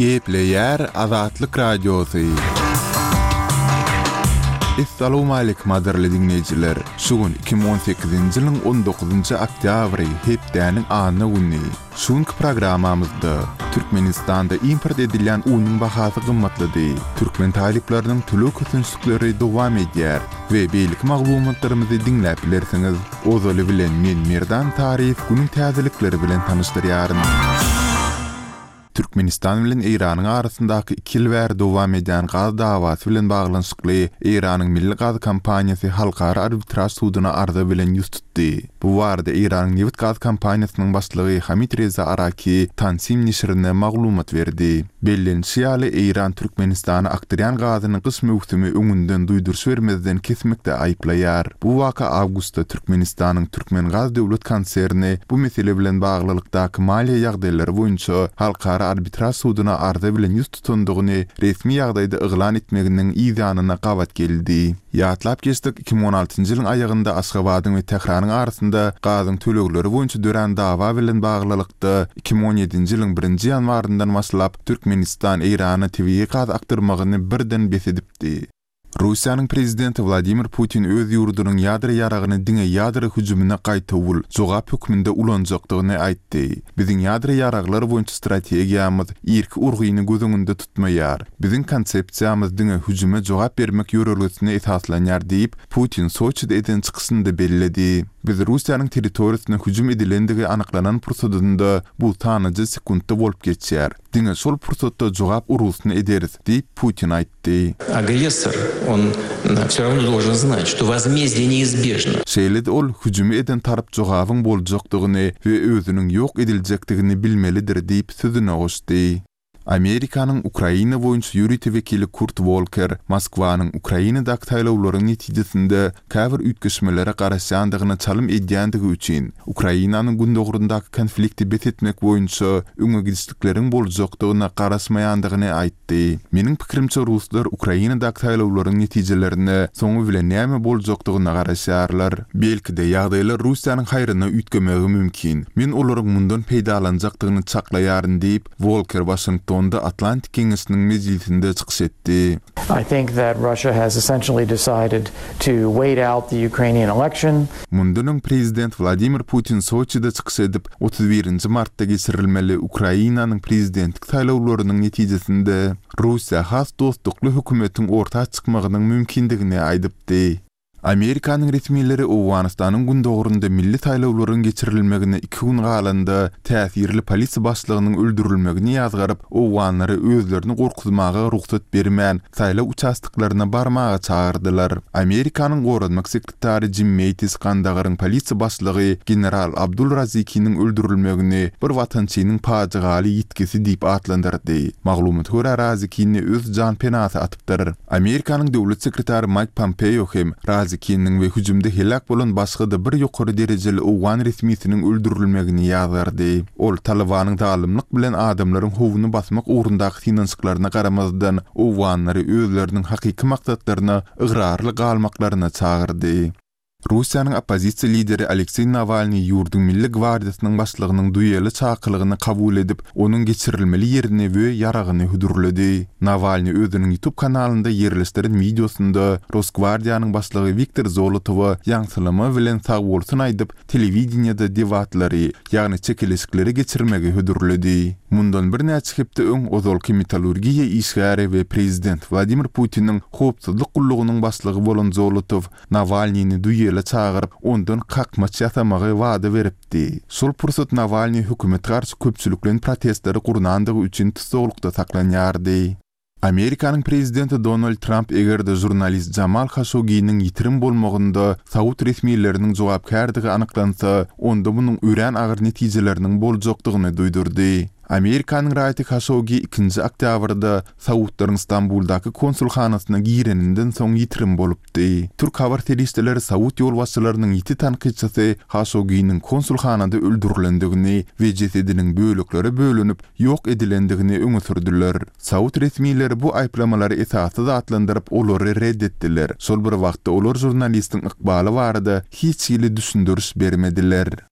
Gepleýär Azatlyk Radiosy. Essalawmaleýkim gadyrly diňleýjiler! Şu gün 2018-nji ýylyň 19-njy oktýabry, hepdäniň anna güni. Şu günki programmamyzda, Türkmenistanda import edilýän unuň bahasy gymmatlady, türkmen talyplarynyň töleg kösençlikleri dowam edýär we beýleki maglumatlarymyzy diňläp bilersiňiz. Ozaly bilen men Merdan Taryýew günüň täzelikleri bilen tanyşdyrýaryn. Türkmenistan bilen Eýranyň arasyndaky iki ýyl bäri dowam edýän gaz dawasy bilen baglanyşykly Eýranyň Milli gaz kompaniýasy Halkara arbitraž suduna arza bilen ýüz tutdy. Bu barada Eýranyň nebit-gaz kompaniýasynyň başlygy Hamid Reza Araki Tansim neşirine maglumat berdi. Bellenişi ýaly, Eýran Türkmenistana akdyrýan gazyny gyş möwsümi öňünden duýduryş bermezden kesmekde aýyplaýar. Bu waka awgustda Türkmenistanyň Türkmengaz döwlet konserni bu mesele bilen baglylykdaky maliýe ýagdaýlary boýunça Halkara arbitraž suduna arza bilen ýüz tutandygyny resmi ýagdaýda yglan etmeginiň yzýanyna gabat geldi. Ýatlap geçsek, 2016-njy ýylyň aýagynda Aşgabadyň we Tähranyň arasynda gazyň tölegleri boýunça dörän dawa bilen baglylykda, 2017-nji ýylyň birinji ýanwaryndan başlap, Türkmenistan Eýrana tebigy gaz akdyrmagyny birden bes edipdi. Russiýanyň prezidenti Wladimir Putin öz ýurdunyň ýadro ýaragyny diňe ýadro hüjümine gaýtawul, jogap hökmünde ulanjakdygyny aýtdy. Biziň ýadro ýaraglar boýunça strategiýamyz irki urgyny göz öňünde tutmaýar. Biziň konsepsiýamyz diňe hüjüme jogap bermek ýörelgesine esaslanýar diýip, Putin Soçide eden çykyşynda belledi. Biz Russiýanyň territoriýasyna hüjüm edilendigi anyklanan pursadynda, bu sanlyja sekuntda bolup geçýär, diňe şol pursatda jogap urgusyny ederis diýip, Putin aýtdy. Agressor, on wsё rawno dolžen znat, çto wozmezdiýe neizbežno. Şeýle-de ol hüjümi eden tarap jogabyň boljakdygyny we özüniň ýok ediljekdigini bilmelidir diýip, sözüne goşdy. Amerikanyň Ukraina boýunça ýörite wekili Kurt Wolker Moskwanyň Ukrainadaky saýlawlaryň netijesinde käbir üýtgeşmelere garaşýandygyna çalym edýändigi üçin Ukrainanyň gündogaryndaky konflikti bes etmek boýunça öňe gidişlikleriň boljakdygyna garaşmaýandygyny aýtdy. Meniň pikirimçe ruslar Ukrainadaky saýlawlaryň netijelerine soňy bilen näme boljakdygyna garaşýarlar. Belki-de ýagdaýlar Russiýanyň haýryna üýtgemegi mümkin. Men olaryň mundan peýdalanjakdygyny çaklaýaryn diýip, Wolker Waşingtonda Atlantik Geňeşiniň mejlisinde çykyş etdi. I think that Russia has essentially decided to wait out the Ukrainian election. Mundan öň prezident Wladimir Putin Soçide çykyş edip, 31-nji martda geçirilmeli Ukrainanyň prezidentlik saýlawlarynyň netijesinde Russiýa has dostlukly hökümetiň orta çykmagynyň mümkindigini aýdypdy. Amerikanyň resmileri Owganystanyň gündogarynda milli saýlawlaryň geçirilmegine iki gün galanda, täsirli polisiýa başlygynyň öldürilmegini ýazgaryp, owganlary özlerini gorkuzmaga rugsat bermän, saýlaw uçastoklaryna barmaga çagyrdylar. Amerikanyň goranmak sekretary Jim Meýtis Gandagaryň polisiýa başlygy general Abdul Razikiniň öldürilmegini bir watançynyň pajygaly ýitgisi diýip atlandyrdy. Maglumata görä, Razikini öz janpenasy atypdyr. Amerikanyň döwlet sekretary Maýk Pompeo hem Razikiniň we hüjümde heläk bolan başga-da bir ýokary derejeli owgan resmisiniň öldürilmegini ýazgardy. Ol Talybanyň zalymlyk bilen adamlaryň howuny basmak ugrundaky synanyşyklaryna garamazdan, owganlary özleriniň hakyky maksatlaryna ygrarly galmaklaryna çagyrdy. Russiýanyň oppozisiýa lideri Alekseý Nawalnyý ýurduň Milli gwardiýasynyň başlygynyň duele çakylygyny kabul edip, onuň geçirilmeli ýerini we ýaragyny hödürledi. Nawalnyý özüniň YouTube kanalynda ýerleşdiren wideosynda Rosgwardiýanyň başlygy Wiktor Zolotowa ýaňsylama bilen sagbolsun aýdyp, telewideniýede debatlary, ýagny çekeleşikleri geçirmegi hödürledi. Mundan birnäçe hepde öň ozalky metallurgiýa işgäri we prezident Wladimir Putiniň howpsuzlyk gullugynyň başlygy bolan Zolotow Nawalnyny duele çagyryp, ondan kakmaç ýasamagy wada beripdi. Şol pursat Nawalnyý hökümete garşy köpçülikleýin protestleri gurnandygy üçin tussaglykda saklanýardy. Amerikanyň prezidenti Donald Tramp eger-de žurnalist Jamal Haşogginiň ýitirim bolmagynda saud resmileriniň jogapkärdigi anyklansa, onda munuň örän agyr netijeleriniň boljakdygyny duýdurdy. Amerikanyň raýaty Haşoggi ikinji oktýabrda saudlaryň Stambuldaky konsulhanasyna gireninden soň ýitirim bolupdy. Türk habar serişdeleri saud ýolbaşçylarynyň ýiti tankytçysy Haşogginiň konsulhanada öldürilendigini we jesediniň böleklere bölünip, ýok edilendigini öňe sürdüler. Saud resmileri bu aýyplamalary esassyz atlandyryp, olary red etdiler. Şol bir wagtda olar žurnalistiň ykbaly barada hiç hili düşündiriş bermediler.